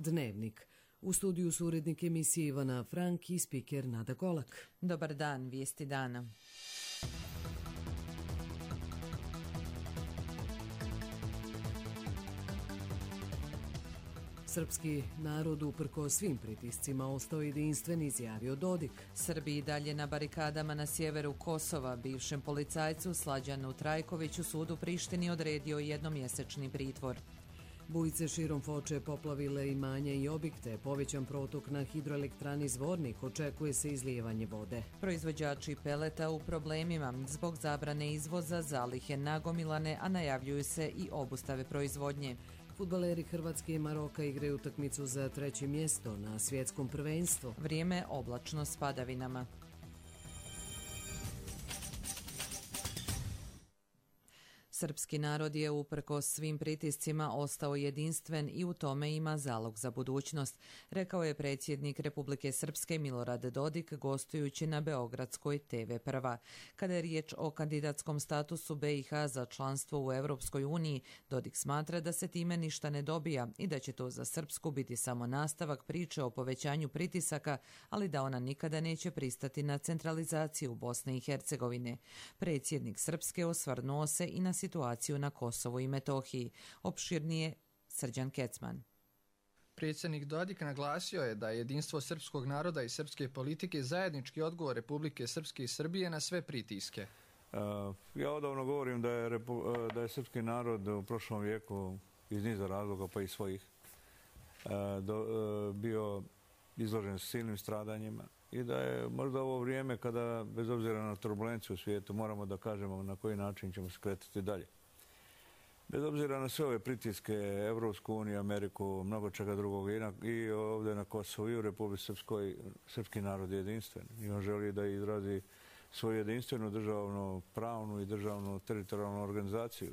Dnevnik. U studiju su urednik emisije Ivana Frank i spiker Nada Kolak. Dobar dan, vijesti dana. Srpski narod uprkos svim pritiscima ostao jedinstven, izjavio Dodik. Srbi i dalje na barikadama na sjeveru Kosova. Bivšem policajcu Slađanu Trajkoviću sud u Prištini odredio jednomjesečni pritvor. Bujice širom Foče poplavile imanja i objekte. Povećan protok na hidroelektrani Zvornik, očekuje se izlijevanje vode. Proizvođači peleta u problemima. Zbog zabrane izvoza zalihe nagomilane, a najavljuju se i obustave proizvodnje. Fudbaleri Hrvatske i Maroka igraju utakmicu za 3. mjesto na svjetskom prvenstvu. Vrijeme oblačno s padavinama. Srpski narod je uprkos svim pritiscima ostao jedinstven i u tome ima zalog za budućnost, rekao je predsjednik Republike Srpske Milorad Dodik gostujući na Beogradskoj TV Prva. Kada je riječ o kandidatskom statusu BiH za članstvo u Europskoj uniji, Dodik smatra da se time ništa ne dobija i da će to za Srpsku biti samo nastavak priče o povećanju pritisaka, ali da ona nikada neće pristati na centralizaciju Bosne i Hercegovine. Predsjednik Srpske osvrnuo se i na situaciju na Kosovu i Metohiji. Opširnije Srđan Kecman. Predsjednik Dodik naglasio je da je jedinstvo srpskog naroda i srpske politike zajednički odgovor Republike Srpske i Srbije na sve pritiske. Ja odavno govorim da je srpski narod u prošlom vijeku iz niza razloga pa i svojih bio izložen silnim stradanjima i da je možda ovo vrijeme kada, bez obzira na turbulenciju u svijetu, moramo da kažemo na koji način ćemo se kretati dalje. Bez obzira na sve ove pritiske, Evropsku uniju, Ameriku, mnogo čega drugog i ovdje na Kosovu i u Republici Srpskoj, srpski narod je jedinstven i on želi da izrazi svoju jedinstvenu državnu, pravnu i državnu teritorijalnu organizaciju.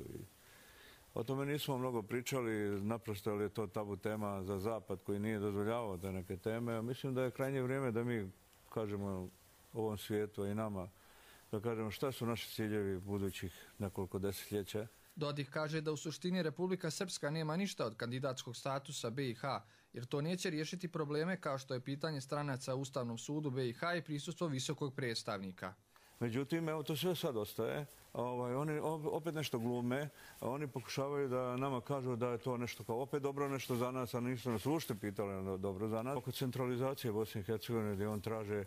O tome nismo mnogo pričali, naprosto je to tabu tema za Zapad koji nije dozvoljavao te neke teme. Mislim da je krajnje vrijeme da mi kažemo ovom svijetu i nama, da kažemo šta su naši ciljevi budućih nekoliko desetljeća. Dodik kaže da u suštini Republika Srpska nema ništa od kandidatskog statusa BiH, jer to neće riješiti probleme kao što je pitanje stranaca u Ustavnom sudu BiH i prisustvo visokog predstavnika. Međutim, evo to sve sad ostaje. Oni opet nešto glume, oni pokušavaju da nama kažu da je to nešto kao opet dobro nešto za nas, a nisu nas uopšte pitali dobro za nas. Oko centralizacije Bosne i Hercegovine gdje on traže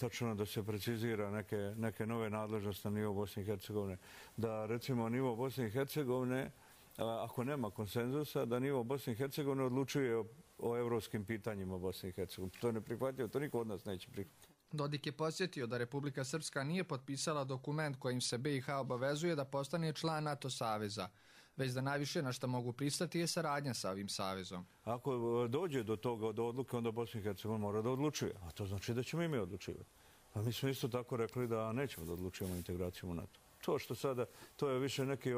tačno da se precizira neke nove nadležnosti na nivo Bosne i Hercegovine. Da recimo nivo Bosne i Hercegovine, ako nema konsenzusa, da nivo Bosne i Hercegovine odlučuje o evropskim pitanjima Bosne i Hercegovine. To je neprihvatljivo, to niko od nas neće prihvatiti. Dodik je podsjetio da Republika Srpska nije potpisala dokument kojim se BiH obavezuje da postane član NATO saveza, već da najviše na što mogu pristati je saradnja sa ovim savezom. Ako dođe do toga, do odluke, onda Bosna i Hercegovina mora da odlučuje, a to znači da ćemo i mi odlučivati. A mi smo isto tako rekli da nećemo da odlučujemo integraciju u NATO. To što sada, to je više neki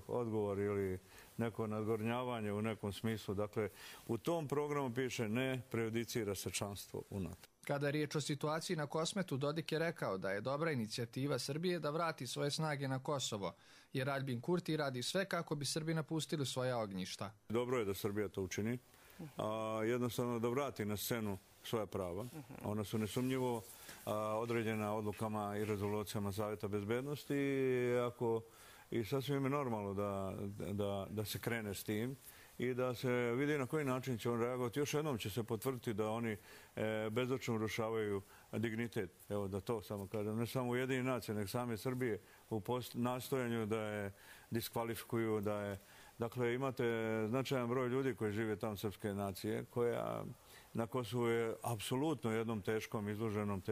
odgovor ili neko nadgornjavanje u nekom smislu. Dakle, u tom programu piše ne prejudicira se članstvo u NATO. Kada je riječ o situaciji na Kosmetu, Dodik je rekao da je dobra inicijativa Srbije da vrati svoje snage na Kosovo, jer Aljbin Kurti radi sve kako bi Srbi napustili svoja ognjišta. Dobro je da Srbija to učini, jednostavno da vrati na scenu svoja prava. Ona su nesumnjivo određena odlukama i rezolucijama Savjeta bezbednosti i sasvim je normalno da se krene s tim i da se vidi na koji način će on reagovati. Još jednom će se potvrditi da oni bezočno urušavaju dignitet. Evo da to samo kažem. Ne samo Ujedinjene nacije, nego same Srbije u nastojanju da je diskvalifikuju, da je... Dakle, imate značajan broj ljudi koji žive tamo srpske nacije, koja na Kosovu je apsolutno jednom teškom, izloženom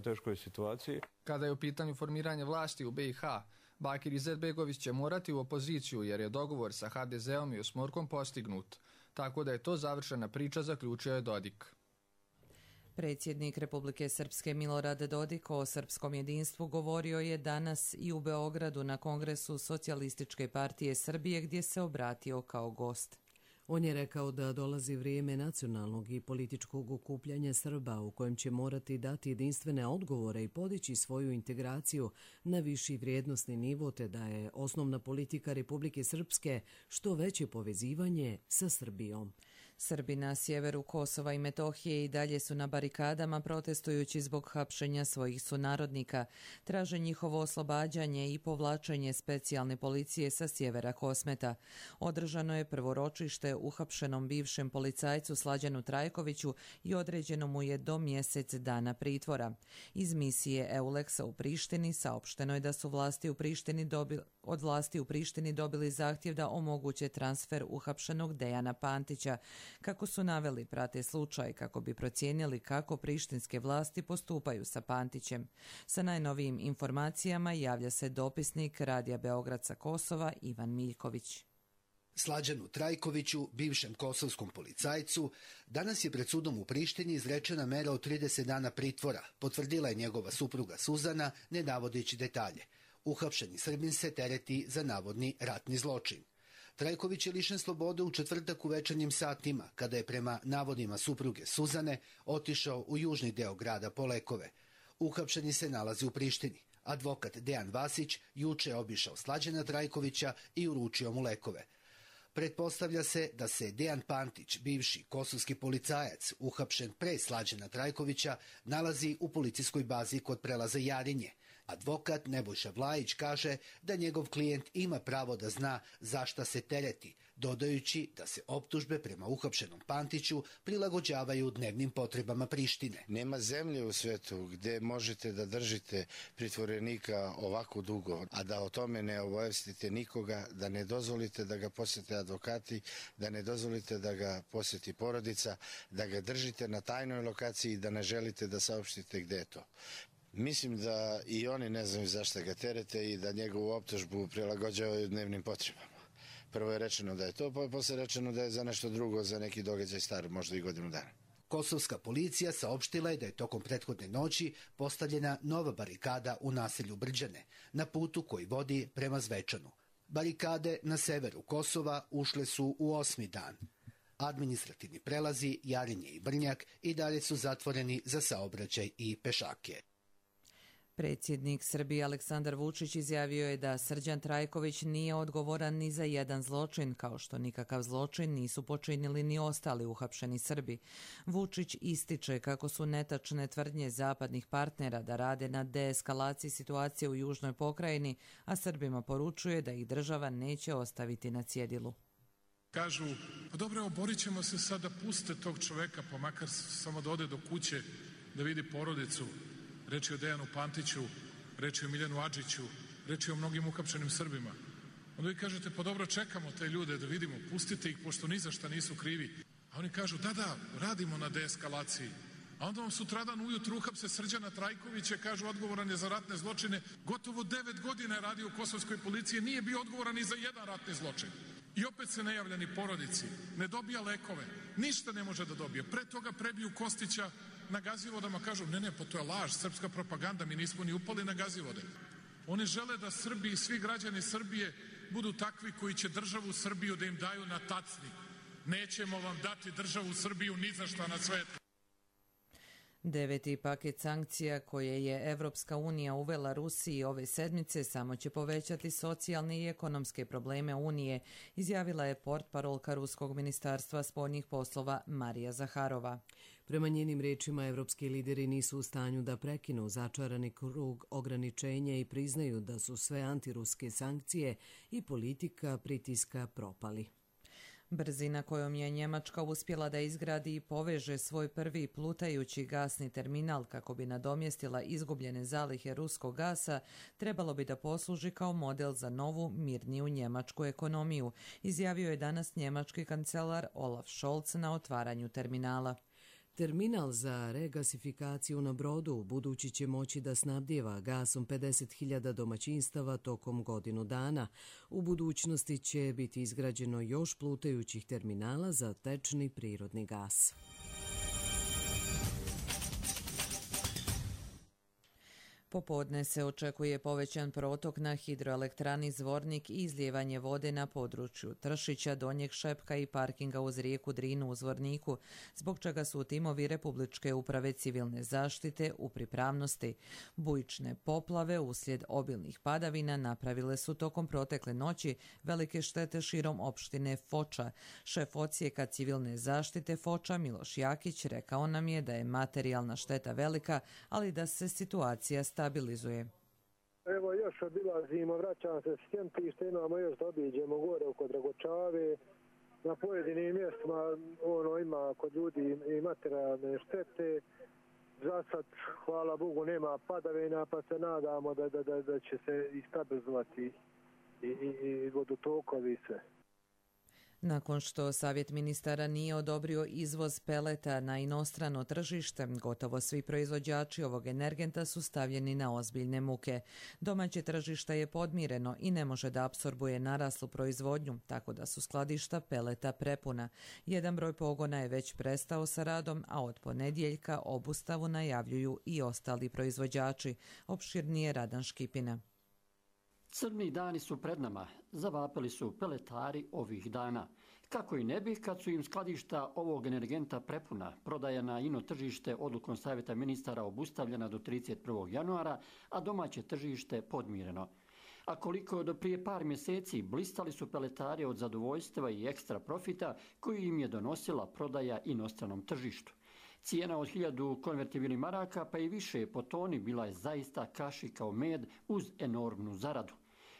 teškoj situaciji. Kada je u pitanju formiranje vlasti u BiH, Bakir Izetbegović će morati u opoziciju jer je dogovor sa HDZ-om i Osmorkom postignut. Tako da je to završena priča, zaključio je Dodik. Predsjednik Republike Srpske Milorad Dodik o srpskom jedinstvu govorio je danas i u Beogradu na Kongresu Socijalističke partije Srbije gdje se obratio kao gost. On je rekao da dolazi vrijeme nacionalnog i političkog okupljanja Srba u kojem će morati dati jedinstvene odgovore i podići svoju integraciju na viši vrijednosni nivo, te da je osnovna politika Republike Srpske što veće povezivanje sa Srbijom. Srbi na sjeveru Kosova i Metohije i dalje su na barikadama protestujući zbog hapšenja svojih sunarodnika. Traže njihovo oslobađanje i povlačenje specijalne policije sa sjevera Kosmeta. Održano je prvo ročište uhapšenom bivšem policajcu Slađanu Trajkoviću i određeno mu je do mjesec dana pritvora. Iz misije EULEX-a u Prištini saopšteno je da su od vlasti u Prištini dobili zahtjev da omoguće transfer uhapšenog Dejana Pantića. Kako su naveli, prate slučaj kako bi procijenili kako prištinske vlasti postupaju sa Pantićem. Sa najnovijim informacijama javlja se dopisnik Radija Beograd sa Kosova Ivan Miljković. Slađanu Trajkoviću, bivšem kosovskom policajcu, danas je pred sudom u Prištini izrečena mera od 30 dana pritvora, potvrdila je njegova supruga Suzana, ne navodeći detalje. Uhapšeni Srbin se tereti za navodni ratni zločin. Trajković je lišen slobode u četvrtak u večernjim satima, kada je prema navodima supruge Suzane otišao u južni deo grada po lekove. Uhapšeni se nalazi u Prištini. Advokat Dejan Vasić juče je obišao Slađana Trajkovića i uručio mu lekove. Pretpostavlja se da se Dejan Pantić, bivši kosovski policajac, uhapšen pre Slađana Trajkovića, nalazi u policijskoj bazi kod prelaza Jarinje. Advokat Nebojša Vlajić kaže da njegov klijent ima pravo da zna zašta se tereti, dodajući da se optužbe prema uhapšenom Pantiću prilagođavaju dnevnim potrebama Prištine. Nema zemlje u svetu gdje možete da držite pritvorenika ovako dugo, a da o tome ne obavestite nikoga, da ne dozvolite da ga posjete advokati, da ne dozvolite da ga posjeti porodica, da ga držite na tajnoj lokaciji i da ne želite da saopštite gdje je to. Mislim da i oni ne znaju zašto ga terete i da njegovu optužbu prilagođavaju dnevnim potrebama. Prvo je rečeno da je to, pa je posle rečeno da je za nešto drugo, za neki događaj star, možda i godinu dana. Kosovska policija saopštila je da je tokom prethodne noći postavljena nova barikada u naselju Brđane, na putu koji vodi prema Zvečanu. Barikade na severu Kosova ušle su u 8. dan. Administrativni prelazi Jarinje i Brnjak i dalje su zatvoreni za saobraćaj i pešake. Predsjednik Srbije Aleksandar Vučić izjavio je da Srđan Trajković nije odgovoran ni za jedan zločin, kao što nikakav zločin nisu počinili ni ostali uhapšeni Srbi. Vučić ističe kako su netačne tvrdnje zapadnih partnera da rade na deeskalaciji situacije u južnoj pokrajini, a Srbima poručuje da ih država neće ostaviti na cjedilu. Kažu, pa dobro, borit ćemo se sad da puste tog čoveka, pa makar samo da ode do kuće, da vidi porodicu. Reč je o Dejanu Pantiću, reč je o Miljanu Adžiću, reč je o mnogim uhapšenim Srbima. Onda vi kažete, pa dobro, čekamo te ljude da vidimo, pustite ih pošto ni za šta nisu krivi. A oni kažu, da, radimo na deeskalaciji. A onda vam sutradan ujutru uhapse Srđana Trajkovića, kažu odgovoran je za ratne zločine. Gotovo 9 godina je radio u kosovskoj policiji, nije bio odgovoran ni za jedan ratni zločin. I opet se ne javlja ni porodici, ne dobija lekove, ništa ne može da dobije. Pre toga prebiju Kostića na Gazivodama, kažu, ne, pa to je laž, srpska propaganda, mi nismo ni upali na Gazivode. Oni žele da Srbi i svi građani Srbije budu takvi koji će državu Srbiju da im daju na tacni. Nećemo vam dati državu Srbiju ni za šta na svetu. 9. paket sankcija koje je Evropska unija uvela Rusiji ove sedmice samo će povećati socijalne i ekonomske probleme Unije, izjavila je portparolka Ruskog ministarstva spoljnih poslova Marija Zaharova. Prema njenim rečima, evropski lideri nisu u stanju da prekinu začarani krug ograničenja i priznaju da su sve antiruske sankcije i politika pritiska propali. Brzina kojom je Njemačka uspjela da izgradi i poveže svoj prvi plutajući gasni terminal kako bi nadomjestila izgubljene zalihe ruskog gasa, trebalo bi da posluži kao model za novu, mirniju njemačku ekonomiju, izjavio je danas njemački kancelar Olaf Scholz na otvaranju terminala. Terminal za regasifikaciju na brodu budući će moći da snabdijeva gasom 50.000 domaćinstava tokom godinu dana. U budućnosti će biti izgrađeno još plutajućih terminala za tečni prirodni gas. Popodne se očekuje povećan protok na hidroelektrani Zvornik i izlijevanje vode na području Tršića, Donjeg Šepka i parkinga uz rijeku Drinu u Zvorniku, zbog čega su timovi Republičke uprave civilne zaštite u pripravnosti. Bujične poplave uslijed obilnih padavina napravile su tokom protekle noći velike štete širom opštine Foča. Šef odsjeka civilne zaštite Foča Miloš Jakić rekao nam je da je materijalna šteta velika, ali da se situacija stabilizuje. Evo još obilazimo, vraćam se s Kempišta, imamo još da obiđemo gore oko Dragočave. Na pojedinim mjestima ima kod ljudi i materijalne štete. Za sad, hvala Bogu, nema padavina, pa se nadamo da će se i stabilizovati i vodotokovi sve. Nakon što Savjet ministara nije odobrio izvoz peleta na inostrano tržište, gotovo svi proizvođači ovog energenta su stavljeni na ozbiljne muke. Domaće tržište je podmireno i ne može da apsorbuje naraslu proizvodnju, tako da su skladišta peleta prepuna. Jedan broj pogona je već prestao sa radom, a od ponedjeljka obustavu najavljuju i ostali proizvođači. Opširnije Radan Škipina. Crni dani su pred nama, zavapili su peletari ovih dana. Kako i ne bi kad su im skladišta ovog energenta prepuna, prodaja na ino tržište odlukom Savjeta ministara obustavljena do 31. januara, a domaće tržište podmireno. A koliko do prije par mjeseci blistali su peletari od zadovoljstva i ekstra profita koji im je donosila prodaja inostranom tržištu. Cijena od 1000 konvertibilnih maraka pa i više po toni bila je zaista kaši kao med uz enormnu zaradu.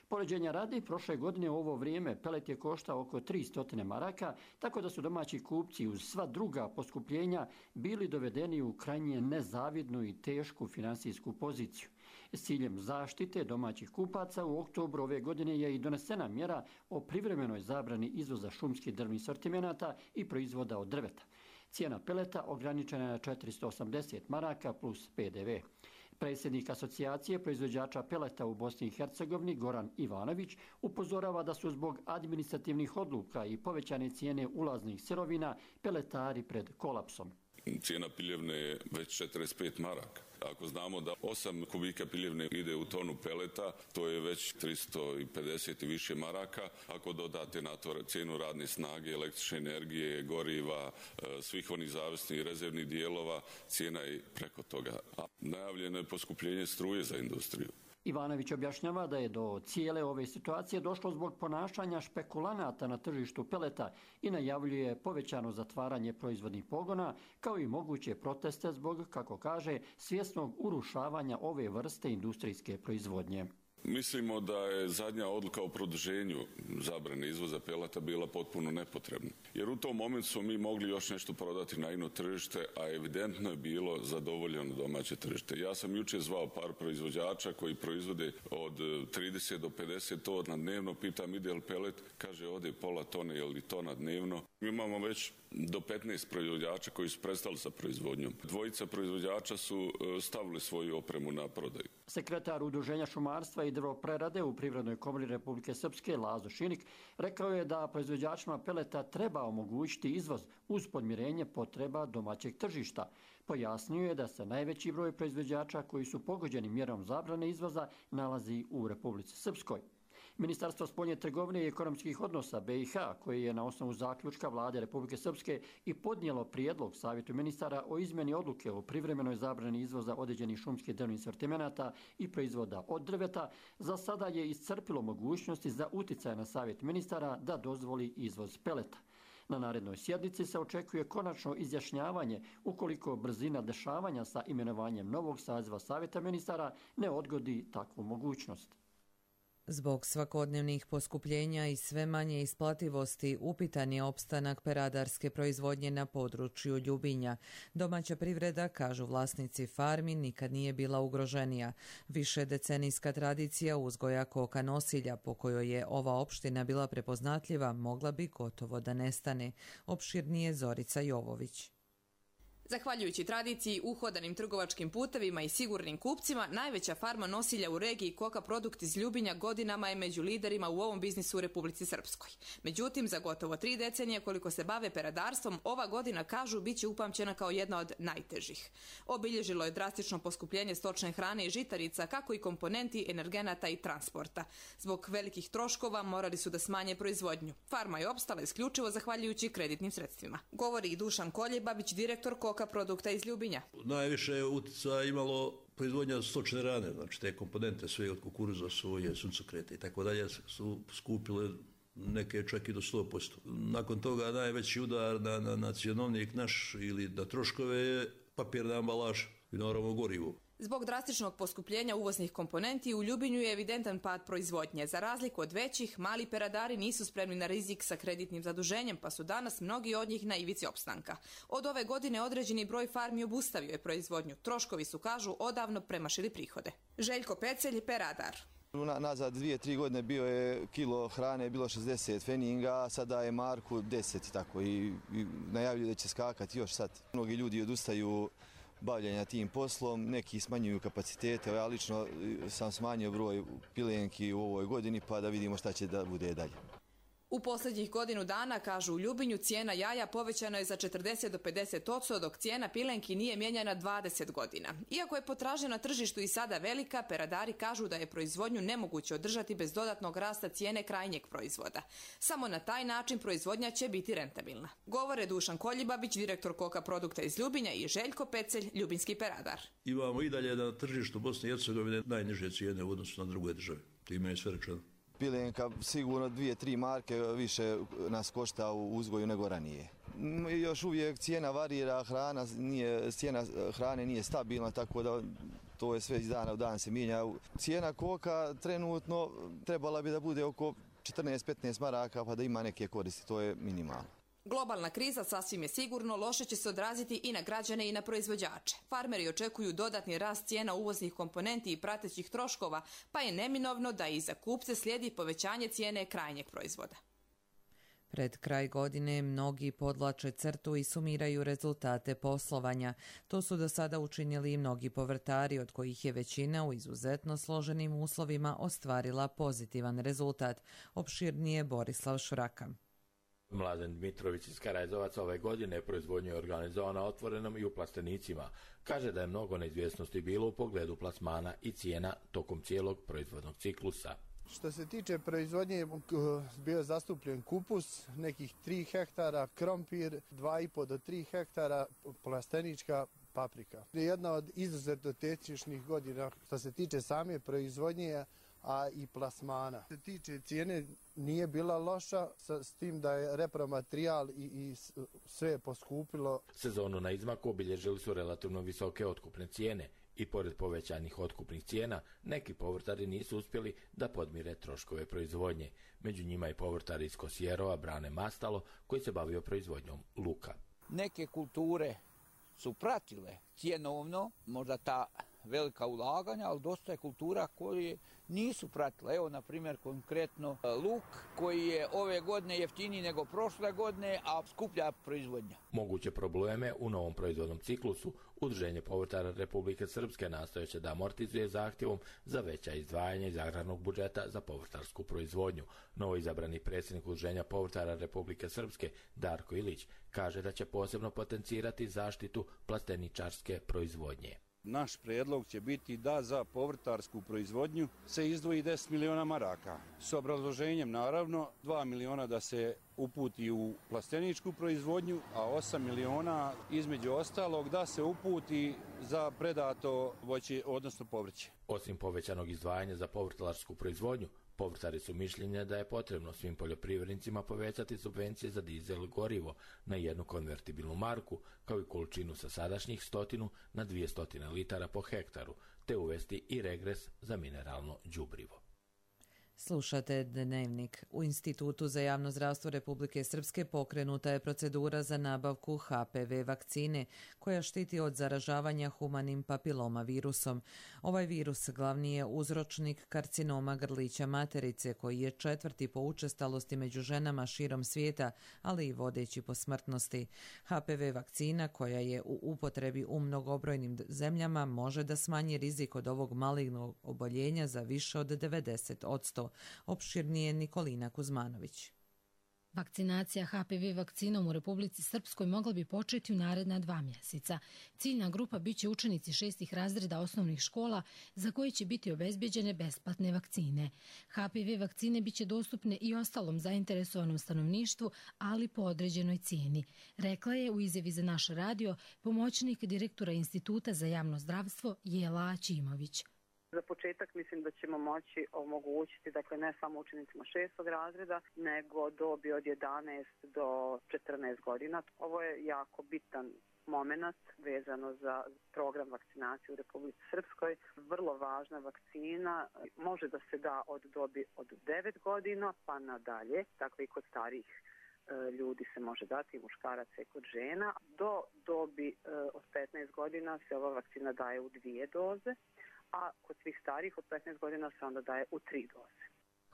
Poređenja radi, prošle godine u ovo vrijeme pelet je koštao oko 300 maraka, tako da su domaći kupci uz sva druga poskupljenja bili dovedeni u krajnje nezavidnu i tešku finansijsku poziciju. S ciljem zaštite domaćih kupaca u oktobru ove godine je i donesena mjera o privremenoj zabrani izvoza šumskih drvnih sortimenata i proizvoda od drveta. Cijena peleta ograničena je na 480 maraka plus PDV. Predsjednik asocijacije proizvođača peleta u Bosni i Hercegovini Goran Ivanović upozorava da su zbog administrativnih odluka i povećane cijene ulaznih sirovina peletari pred kolapsom. Cijena piljevne je već 45 maraka. Ako znamo da 8 kubika piljevne ide u tonu peleta, to je već 350 i više maraka. Ako dodate na to cijenu radne snage, električne energije, goriva, svih onih zavisnih i rezervnih dijelova, cijena je preko toga. A najavljeno je poskupljenje struje za industriju. Ivanović objašnjava da je do cijele ove situacije došlo zbog ponašanja špekulanata na tržištu peleta i najavljuje povećano zatvaranje proizvodnih pogona, kao i moguće proteste zbog, kako kaže, svjesnog urušavanja ove vrste industrijske proizvodnje. Mislimo da je zadnja odluka o produženju zabrane izvoza peleta bila potpuno nepotrebna. Jer u tom momentu smo mi mogli još nešto prodati na ino tržište, a evidentno je bilo zadovoljeno domaće tržište. Ja sam jučer zvao par proizvođača koji proizvode od 30 do 50 tona dnevno, pitam ide li pelet, kaže ode pola tone ili tona dnevno. Mi imamo već do 15 proizvođača koji su prestali sa proizvodnjom. Dvojica proizvođača su stavili svoju opremu na prodaju. Sekretar Udruženja šumarstva i drvoprerade u Privrednoj komori Republike Srpske Lazo Šinik rekao je da proizvođačima peleta treba omogućiti izvoz uz podmirenje potreba domaćeg tržišta. Pojasnio je da se najveći broj proizvođača koji su pogođeni mjerom zabrane izvoza nalazi u Republici Srpskoj. Ministarstvo spoljne trgovine i ekonomskih odnosa BiH, koji je na osnovu zaključka Vlade Republike Srpske i podnijelo prijedlog Savjetu ministara o izmjeni odluke o privremenoj zabrani izvoza određenih šumskih drvnih sortimenata i proizvoda od drveta, za sada je iscrpilo mogućnosti za uticaj na Savjet ministara da dozvoli izvoz peleta. Na narednoj sjednici se očekuje konačno izjašnjavanje ukoliko brzina dešavanja sa imenovanjem novog saziva Savjeta ministara ne odgodi takvu mogućnost. Zbog svakodnevnih poskupljenja i sve manje isplativosti upitan je opstanak peradarske proizvodnje na području Ljubinja. Domaća privreda, kažu vlasnici farmi, nikad nije bila ugroženija. Više decenijska tradicija uzgoja koka nosilja, po kojoj je ova opština bila prepoznatljiva, mogla bi gotovo da nestane. Opširnije Zorica Jovović. Zahvaljujući tradiciji, uhodanim trgovačkim putevima i sigurnim kupcima, najveća farma nosilja u regiji Koka Produkt iz Ljubinja godinama je među liderima u ovom biznisu u Republici Srpskoj. Međutim, za gotovo 3 decenije koliko se bave peradarstvom, ova godina, kažu, bit će upamćena kao jedna od najtežih. Obilježilo je drastično poskupljenje stočne hrane i žitarica, kako i komponenti, energenata i transporta. Zbog velikih troškova morali su da smanje proizvodnju. Farma je opstala isključivo zahvaljujući kreditnim sredstvima. Govori i Dušan Koljebabić, direktor Koka Produkta iz Ljubinja. Najviše utjecaja imalo proizvodnja stočne hrane, znači te komponente sve od kukuruza, soje, suncokreta i tako dalje su skupile neke čak i do 100%. Nakon toga najveći udar na cjenovnik naš ili na troškove je papirna ambalaža i naravno gorivo. Zbog drastičnog poskupljenja uvoznih komponenti u Ljubinju je evidentan pad proizvodnje. Za razliku od većih, mali peradari nisu spremni na rizik sa kreditnim zaduženjem, pa su danas mnogi od njih na ivici opstanka. Od ove godine određeni broj farmi obustavio je proizvodnju. Troškovi su, kažu, odavno premašili prihode. Željko Pecelj, peradar. Nazad 2-3 godine bio je kilo hrane bilo 60 feninga, sada je marku 10 tako i najavljuju da će skakati još sad. Mnogi ljudi odustaju bavljenja tim poslom, neki smanjuju kapacitete, ja lično sam smanjio broj pilenki u ovoj godini pa da vidimo šta će da bude dalje. U posljednjih godinu dana, kažu u Ljubinju, cijena jaja povećana je za 40 do 50%, dok cijena pilenki nije mijenjana 20 godina. Iako je potražnja na tržištu i sada velika, peradari kažu da je proizvodnju nemoguće održati bez dodatnog rasta cijene krajnjeg proizvoda. Samo na taj način proizvodnja će biti rentabilna. Govore Dušan Koljibabić, direktor Koka Produkta iz Ljubinja, i Željko Pecelj, ljubinski peradar. Imamo i dalje na tržištu Bosne i Hercegovine najniže cijene u odnosu na druge države. Time je sve rečeno. Pilenka sigurno 2-3 marke više nas košta u uzgoju nego ranije. Još uvijek cijena varira, cijena hrane nije stabilna, tako da to je sve iz dana u dan se mijenja. Cijena koka trenutno trebala bi da bude oko 14-15 maraka pa da ima neke koristi, to je minimalno. Globalna kriza, sasvim je sigurno, loše će se odraziti i na građane i na proizvođače. Farmeri očekuju dodatni rast cijena uvoznih komponenti i pratećih troškova, pa je neminovno da i za kupce slijedi povećanje cijene krajnjeg proizvoda. Pred kraj godine mnogi podvlače crtu i sumiraju rezultate poslovanja. To su do sada učinili i mnogi povrtari, od kojih je većina u izuzetno složenim uslovima ostvarila pozitivan rezultat. Opširnije Borislav Švraka. Mladen Dmitrović iz Karajezovaca ove godine proizvodnju je organizovana otvorenom i u plastenicima. Kaže da je mnogo neizvjesnosti bilo u pogledu plasmana i cijena tokom cijelog proizvodnog ciklusa. Što se tiče proizvodnje, bio je zastupljen kupus, nekih 3 hektara, krompir, 2,5 do 3 hektara, plastenička paprika. Jedna od izuzetno tečnih godina što se tiče same proizvodnje, a i plasmana. Što se tiče cijene, nije bila loša, s tim da je repromaterijal i sve je poskupilo. Sezonu na izmaku obilježili su relativno visoke otkupne cijene i pored povećanih otkupnih cijena, neki povrtari nisu uspjeli da podmire troškove proizvodnje. Među njima i povrtari iz Kosjerova Brane Mastalo, koji se bavio proizvodnjom luka. Neke kulture su pratile cjenovno, možda ta velika ulaganja, ali dosta je kultura koje nisu pratile. Evo, na primjer, konkretno luk koji je ove godine jeftiniji nego prošle godine, a skuplja proizvodnja. Moguće probleme u novom proizvodnom ciklusu Udruženje povrtara Republike Srpske nastojeće da amortizuje zahtjevom za veća izdvajanja iz agrarnog budžeta za povrtarsku proizvodnju. Novoizabrani predsjednik Udruženja povrtara Republike Srpske Darko Ilić kaže da će posebno potencirati zaštitu plasteničarske proizvodnje. Naš prijedlog će biti da za povrtarsku proizvodnju se izdvoji 10 miliona maraka. S obrazloženjem naravno 2 miliona da se uputi u plasteničku proizvodnju, a 8 miliona između ostalog da se uputi za predato voće, odnosno povrće. Osim povećanog izdvajanja za povrtlarsku proizvodnju, povrtari su mišljenja da je potrebno svim poljoprivrednicima povećati subvencije za dizel gorivo na 1 konvertibilnu marku, kao i količinu sa sadašnjih 100 na 200 litara po hektaru, te uvesti i regres za mineralno đubrivo. Slušate Dnevnik. U Institutu za javno zdravstvo Republike Srpske pokrenuta je procedura za nabavku HPV vakcine koja štiti od zaražavanja humanim papiloma virusom. Ovaj virus glavni je uzročnik karcinoma grlića materice koji je 4. po učestalosti među ženama širom svijeta, ali i vodeći po smrtnosti. HPV vakcina koja je u upotrebi u mnogobrojnim zemljama može da smanji rizik od ovog malignog oboljenja za više od 90%. Opširnije Nikolina Kuzmanović. Vakcinacija HPV vakcinom u Republici Srpskoj mogla bi početi u naredna 2 mjeseca. Ciljna grupa biće učenici 6. razreda osnovnih škola za koji će biti obezbeđene besplatne vakcine. HPV vakcine biće dostupne i ostalom zainteresovanom stanovništvu, ali po određenoj cijeni. Rekla je u izjavi za naš radio pomoćnik direktora Instituta za javno zdravstvo Jela Ćimović. Za početak mislim da ćemo moći omogućiti, dakle ne samo učenicima 6. razreda, nego dobi od 11 do 14 godina. Ovo je jako bitan moment vezano za program vakcinacije u Republici Srpskoj. Vrlo važna vakcina, može da se da od dobi od 9 godina pa nadalje, dakle i kod starijih ljudi se može dati, muškaraca i kod žena. Do dobi od 15 godina se ova vakcina daje u 2 doze, a kod svih starijih od 15 godina se onda daje u 3 doze.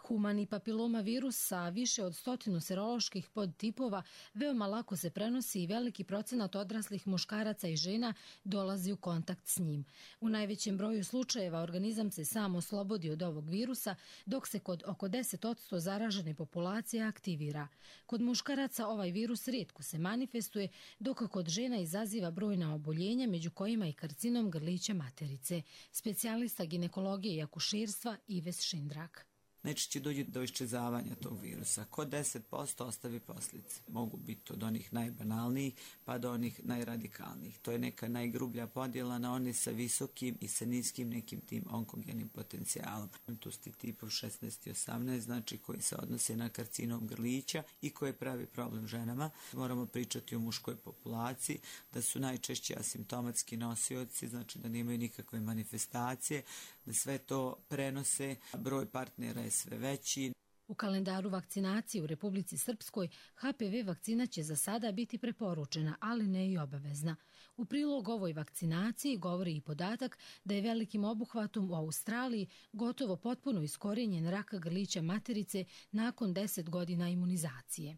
Humani papiloma virus sa više od 100 seroloških podtipova veoma lako se prenosi i veliki procenat odraslih muškaraca i žena dolazi u kontakt s njim. U najvećem broju slučajeva organizam se sam oslobodi od ovog virusa, dok se kod oko 10% zaražene populacije aktivira. Kod muškaraca ovaj virus rijetko se manifestuje, dok kod žena izaziva brojna oboljenja, među kojima i karcinom grlića materice. Specijalista ginekologije i akušerstva Ives Šindrak. Najčešće dođe do iščezavanja tog virusa. Kod 10% ostavi posljedice. Mogu biti od onih najbanalnijih pa do onih najradikalnijih. To je neka najgrublja podjela na one sa visokim i sa niskim nekim tim onkogenim potencijalom. Tu su tipov 16 i 18, znači koji se odnose na karcinom grlića i koji pravi problem ženama. Moramo pričati o muškoj populaciji, da su najčešće asimptomatski nosioci, znači da nemaju nikakve manifestacije, da sve to prenose, broj partnera je sve veći. U kalendaru vakcinacije u Republici Srpskoj HPV vakcina će za sada biti preporučena, ali ne i obavezna. U prilog ovoj vakcinaciji govori i podatak da je velikim obuhvatom u Australiji gotovo potpuno iskorijenjen rak grlića materice nakon 10 godina imunizacije.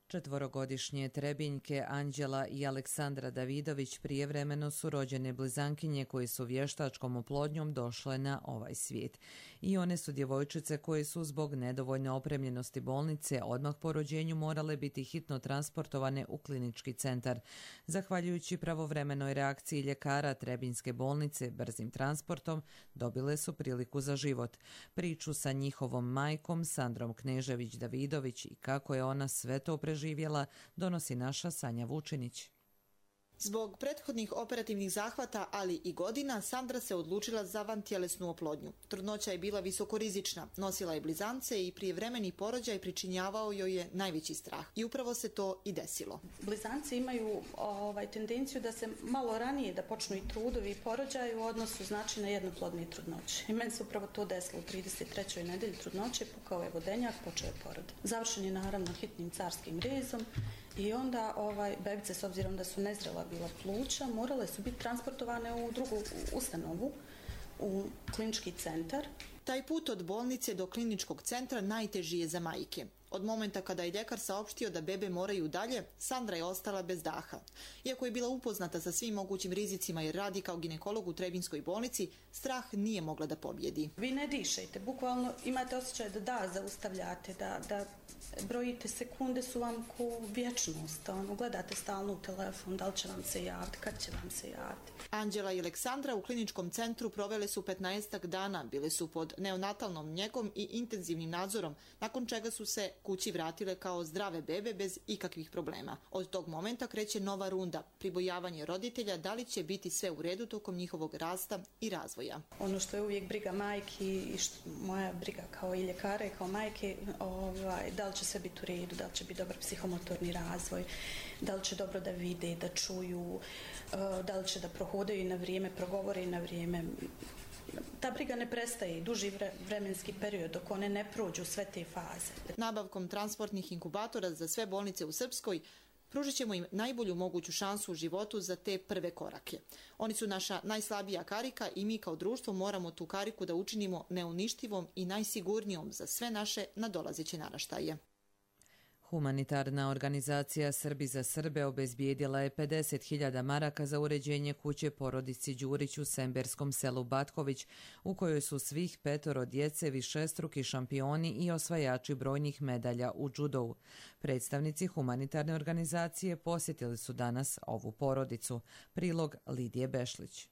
4-godišnje Trebinjke Anđela i Aleksandra Davidović prijevremeno su rođene blizankinje koje su vještačkom oplodnjom došle na ovaj svijet. I one su djevojčice koje su zbog nedovoljne opremljenosti bolnice odmah po rođenju morale biti hitno transportovane u klinički centar. Zahvaljujući pravovremenoj reakciji ljekara Trebinjske bolnice brzim transportom dobile su priliku za život. Priču sa njihovom majkom Sandrom Knežević-Davidović i kako je ona sve to preživjela donosi naša Sanja Vučinić. Zbog prethodnih operativnih zahvata, ali i godina, Sandra se odlučila za vantjelesnu oplodnju. Trudnoća je bila visokorizična, nosila je blizance i prijevremeni porođaj pričinjavao joj je najveći strah. I upravo se to i desilo. Blizance imaju tendenciju da se malo ranije da počnu i trudovi i porođaj u odnosu znači na jednoplodne trudnoće. I meni se upravo to desilo u 33. nedelji trudnoće, pukao je vodenjak, počeo je porod. Završen je naravno hitnim carskim rezom. I onda bebice, s obzirom da su nezrela bila pluća, morale su biti transportovane u drugu ustanovu, u klinički centar. Taj put od bolnice do kliničkog centra najteži je za majke. Od momenta kada je ljekar saopštio da bebe moraju dalje, Sandra je ostala bez daha. Iako je bila upoznata sa svim mogućim rizicima jer radi kao ginekolog u Trebinjskoj bolnici, strah nije mogla da pobjedi. Vi ne dišete, bukvalno imate osjećaj da zaustavljate, da brojite sekunde su vam ko vječnost, gledate stalno u telefon, da li će vam se javiti, kad će vam se javiti. Anđela i Aleksandra u kliničkom centru provele su 15 dana, bile su pod neonatalnom njegom i intenzivnim nadzorom, nakon čega su se kući vratile kao zdrave bebe bez ikakvih problema. Od tog momenta kreće nova runda, pribojavanje roditelja da li će biti sve u redu tokom njihovog rasta i razvoja. Ono što je uvijek briga majki i moja briga kao i ljekara i kao majke, da li će sve biti u redu, da li će biti dobar psihomotorni razvoj, da li će dobro da vide, da čuju, da li će da prohodaju i na vrijeme, progovore i na vrijeme. ta briga ne prestaje i duži vremenski period dok one ne prođu sve te faze. Nabavkom transportnih inkubatora za sve bolnice u Srpskoj pružit ćemo im najbolju moguću šansu u životu za te prve korake. Oni su naša najslabija karika i mi kao društvo moramo tu kariku da učinimo neuništivom i najsigurnijom za sve naše nadolazeće naraštaje. Humanitarna organizacija Srbi za Srbe obezbijedila je 50.000 maraka za uređenje kuće porodici Đurić u semberskom selu Batković, u kojoj su svih 5 djece višestruki šampioni i osvajači brojnih medalja u džudovu. Predstavnici humanitarne organizacije posjetili su danas ovu porodicu. Prilog Lidije Bešlić.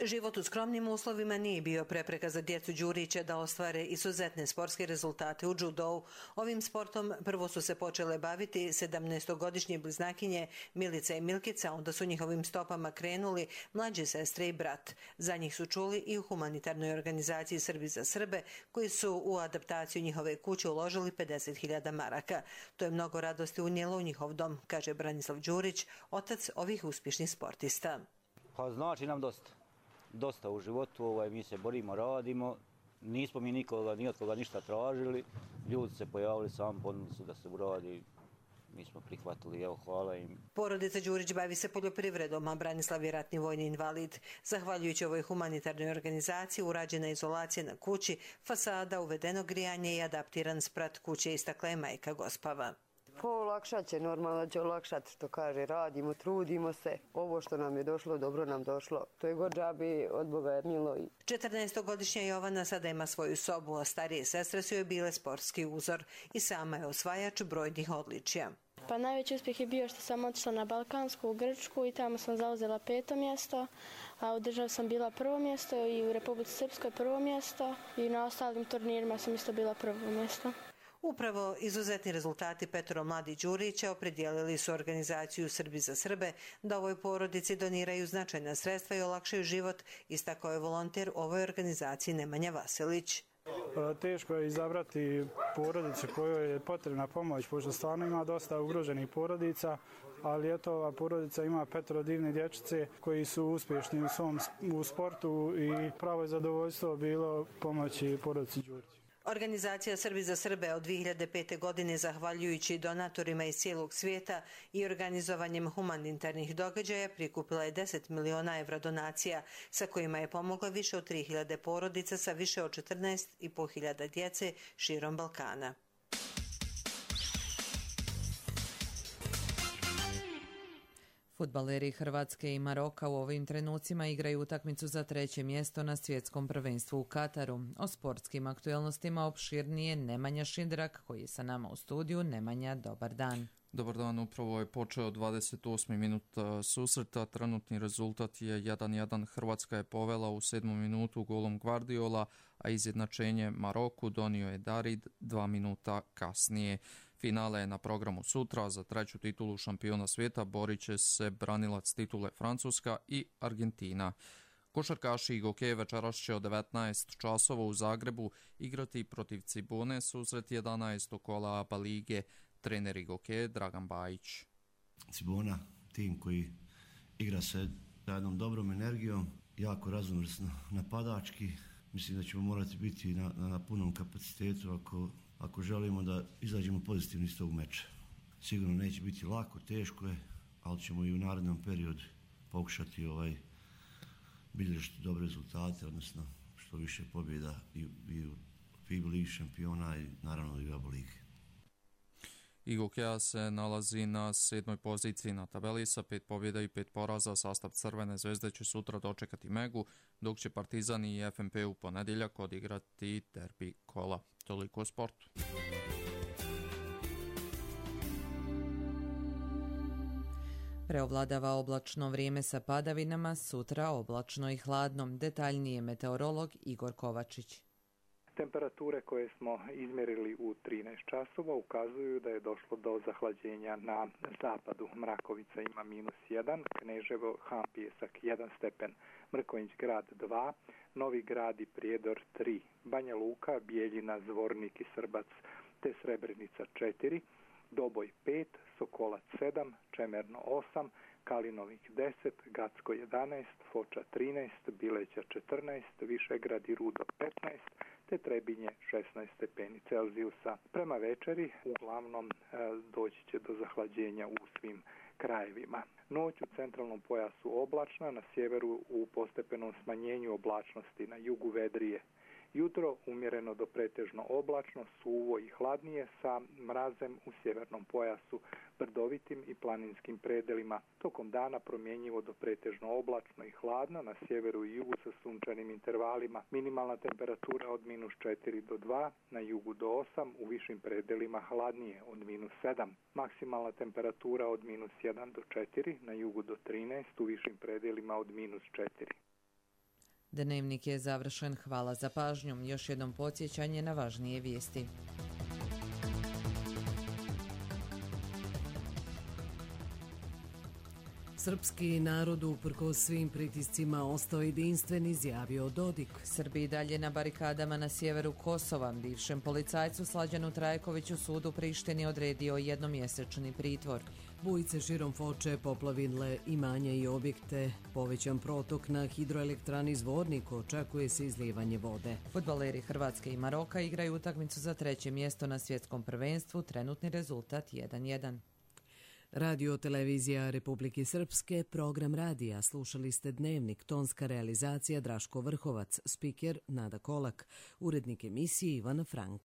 Život u skromnim uslovima nije bio prepreka za djecu Đurića da ostvare izuzetne sportske rezultate u džudovu. Ovim sportom prvo su se počele baviti 17-godišnje bliznakinje Milica i Milkica, onda su njihovim stopama krenuli mlađe sestre i brat. Za njih su čuli i u humanitarnoj organizaciji Srbi za Srbe, koji su u adaptaciju njihove kuće uložili 50.000 maraka. To je mnogo radosti unijelo u njihov dom, kaže Branislav Đurić, otac ovih uspješnih sportista. Pa znači nam dosta u životu, mi se borimo, radimo, nismo mi ni od koga ništa tražili, ljudi se pojavili sami, ponudili su da se uradi, mi smo prihvatili, evo hvala im. Porodica Đurić bavi se poljoprivredom, a Branislav je ratni vojni invalid. Zahvaljujući ovoj humanitarnoj organizaciji urađena izolacija na kući, fasada, uvedeno grijanje i adaptiran sprat kuće, istakla je majka Gospava. Olakšat će, normalno će olakšati, što kaže, radimo, trudimo se. Ovo što nam je došlo, dobro nam došlo. To je god džabi, od Boga je milo. 14-godišnja Jovana sada ima svoju sobu, a starije sestre su joj bile sportski uzor i sama je osvajač brojnih odličja. Pa najveći uspjeh je bio što sam otišla na Balkansku, u Grčku i tamo sam zauzela 5. mjesto, a u državi sam bila 1. mjesto i u Republici Srpskoj 1. mjesto i na ostalim turnirima sam isto bila 1. mjesto. Upravo izuzetni rezultati 5 mladih Đurića opredijelili su organizaciju Srbi za Srbe da ovoj porodici doniraju značajna sredstva i olakšaju život, istakao je volonter ovoj organizaciji Nemanja Vasilić. Teško je izabrati porodicu kojoj je potrebna pomoć, pošto stvarno ima dosta ugroženih porodica, ali eto, ova porodica ima 5 divne dječice koji su uspješni u sportu i pravo je zadovoljstvo bilo pomoći porodici Đurić. Organizacija Srbi za Srbe od 2005. godine, zahvaljujući donatorima iz cijelog svijeta i organizovanjem humanitarnih događaja, prikupila je 10 miliona evra donacija, sa kojima je pomogla više od 3.000 porodica sa više od 14.500 djece širom Balkana. Fudbaleri Hrvatske i Maroka u ovim trenucima igraju utakmicu za 3. mjesto na svjetskom prvenstvu u Kataru. O sportskim aktualnostima opširnije Nemanja Šindrak, koji je sa nama u studiju. Nemanja, dobar dan. Dobar dan, upravo je počeo 28. minut susreta. Trenutni rezultat je 1-1. Hrvatska je povela u 7. minutu golom Guardiola, a izjednačenje Maroku donio je Darid 2 minuta kasnije. Finale je na programu sutra. Za 3. titulu šampiona svijeta borit će se branilac titule Francuska i Argentina. Košarkaši i Gokeje večeras će od 19 časova u Zagrebu igrati protiv Cibone, susret 11. kola ABA lige. Trener Gokeje Dragan Bajić. Cibona, tim koji igra se jednom dobrom energijom, jako raznovrsno napadački. Mislim da ćemo morati biti na punom kapacitetu ako želimo da izađemo pozitivni iz tog meča. Sigurno neće biti lako, teško je, ali ćemo i u narednom periodu pokušati bilježiti dobre rezultate, odnosno što više pobjeda i u FIBA ligi šampiona i naravno i u ABA ligi. Gokeja se nalazi na 7. poziciji na tabeli sa 5 pobjeda i 5 poraza. Sastav Crvene zvezde će sutra dočekati Megu, dok će Partizan i FNP u ponedjeljak odigrati derbi kola. Toliko o sportu. Preovladava oblačno vrijeme sa padavinama, sutra oblačno i hladno. Detaljnije meteorolog Igor Kovačić. Temperature koje smo izmjerili u 13 časova ukazuju da je došlo do zahlađenja na zapadu. Mrakovica ima -1, Kneževo, Han-Pijesak 1 stepen, Mrkonjić grad 2, Novi grad i Prijedor 3, Banja Luka, Bijeljina, Zvornik i Srbac te Srebrenica 4, Doboj 5, Sokolac 7, Čemerno 8, Kalinovik 10, Gacko 11, Foča 13, Bileća 14, Višegrad i Rudo 15, te Trebinje 16 stepeni Celzijusa. Prema večeri uglavnom doći će do zahlađenja u svim krajevima. Noć u centralnom pojasu oblačna, na sjeveru u postepenom smanjenju oblačnosti, na jugu vedrije. Jutro umjereno do pretežno oblačno, suvo i hladnije sa mrazem u sjevernom pojasu, brdovitim i planinskim predelima. Tokom dana promjenjivo do pretežno oblačno i hladno, na sjeveru i jugu sa sunčanim intervalima. Minimalna temperatura od -4 do 2, na jugu do 8, u višim predelima hladnije od -7. Maksimalna temperatura od -1 do 4, na jugu do 13, u višim predelima od -4. Dnevnik je završen. Hvala za pažnju. Još jednom podsjećanje na važnije vijesti. Srpski narod uprkos svim pritiscima ostao jedinstven, izjavio Dodik. Srbi i dalje na barikadama na sjeveru Kosova. Bivšem policajcu Slađanu Trajkoviću sud u Prištini odredio jednomjesečni pritvor. Bujice širom Foče poplavile imanja i objekte. Povećan protok na hidroelektrani Zvornik, očekuje se izlijevanje vode. Fudbaleri Hrvatske i Maroka igraju utakmicu za 3. mjesto na svjetskom prvenstvu. Trenutni rezultat 1:1. Radio televizija Republike Srpske, program radija. Slušali ste Dnevnik, tonska realizacija Draško Vrhovac, spiker Nada Kolak, urednik emisije Ivana Frank.